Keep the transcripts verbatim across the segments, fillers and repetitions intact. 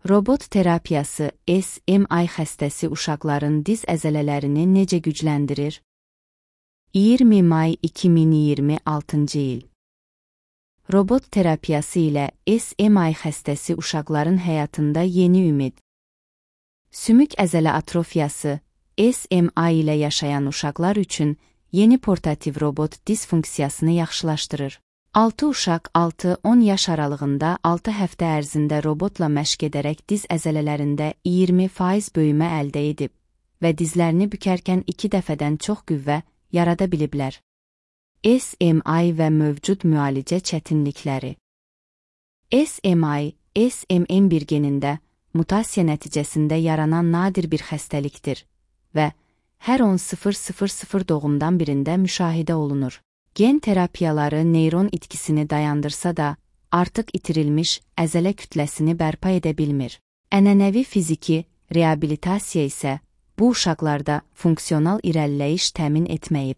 Robot terapiyası S M I xəstəsi uşaqların diz əzələlərini necə gücləndirir? iyirmi may iki min iyirmi altıncı il. Robot terapiyası ilə S M I xəstəsi uşaqların həyatında yeni ümid. Sümük əzələ atrofiyası S M I ilə yaşayan uşaqlar üçün yeni portativ robot diz funksiyasını yaxşılaşdırır. altı uşaq altı on yaş aralığında altı həftə ərzində robotla məşq edərək diz əzələlərində iyirmi faiz böyümə əldə edib və dizlərini bükərkən iki dəfədən çox qüvvə yarada biliblər. S M I və mövcud müalicə çətinlikləri. S M I, S M M bir genində mutasiya nəticəsində yaranan nadir bir xəstəlikdir və hər on min doğumdan birində müşahidə olunur. Gen terapiyaları neyron itkisini dayandırsa da, artıq itirilmiş əzələ kütləsini bərpa edə bilmir. Ənənəvi fiziki reabilitasiya isə bu uşaqlarda funksional irəliləyiş təmin etməyib.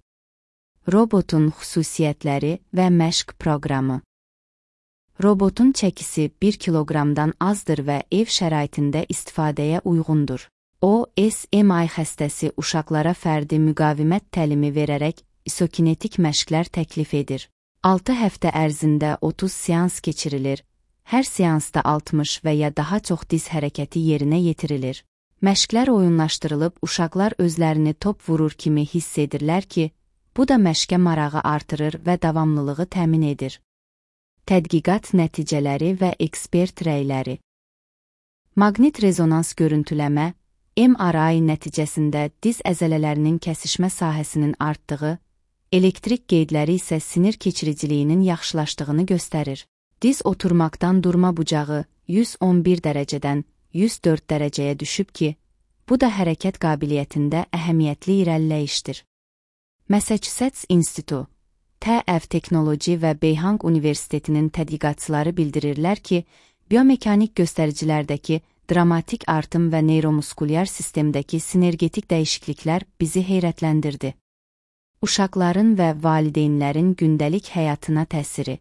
Robotun xüsusiyyətləri və məşq proqramı. Robotun çəkisi bir kiloqramdan azdır və ev şəraitində istifadəyə uyğundur. O, S M I xəstəsi uşaqlara fərdi müqavimət təlimi verərək isokinetik məşqlər təklif edir. altı həftə ərzində otuz seans keçirilir, hər seansda altmış və ya daha çox diz hərəkəti yerinə yetirilir. Məşqlər oyunlaşdırılıb uşaqlar özlərini top vurur kimi hiss edirlər ki, bu da məşqə marağı artırır və davamlılığı təmin edir. Tədqiqat nəticələri və ekspert rəyləri. Maqnit rezonans görüntüləmə, M R I nəticəsində diz əzələlərinin kəsişmə sahəsinin artdığı, elektrik qeydləri isə sinir keçiriciliyinin yaxşılaşdığını göstərir. Diz oturmaqdan durma bucağı yüz on bir dərəcədən yüz dörd dərəcəyə düşüb ki, bu da hərəkət qabiliyyətində əhəmiyyətli irəliləyişdir. Massachusetts İnstitutu, T F Texnology və Beyhang Universitetinin tədqiqatçıları bildirirlər ki, biomekanik göstəricilərdəki dramatik artım və neyromuskulyar sistemdəki sinergetik dəyişikliklər bizi heyrətləndirdi. Uşaqların və valideynlərin gündəlik həyatına təsiri.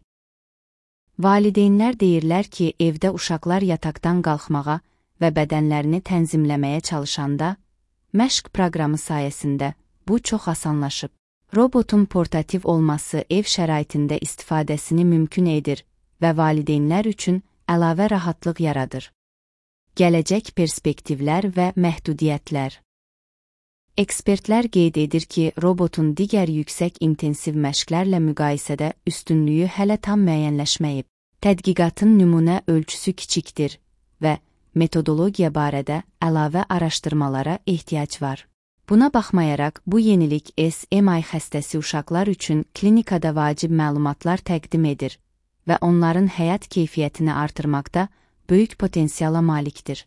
Valideynlər deyirlər ki, evdə uşaqlar yataqdan qalxmağa və bədənlərini tənzimləməyə çalışanda, məşq proqramı sayəsində bu çox asanlaşıb. Robotun portativ olması ev şəraitində istifadəsini mümkün edir və valideynlər üçün əlavə rahatlıq yaradır. Gələcək perspektivlər və məhdudiyyətlər. Ekspertlər qeyd edir ki, robotun digər yüksək intensiv məşqlərlə müqayisədə üstünlüyü hələ tam müəyyənləşməyib. Tədqiqatın nümunə ölçüsü kiçikdir və metodologiya barədə əlavə araşdırmalara ehtiyac var. Buna baxmayaraq, bu yenilik S M I xəstəsi uşaqlar üçün klinikada vacib məlumatlar təqdim edir və onların həyat keyfiyyətini artırmaqda böyük potensiala malikdir.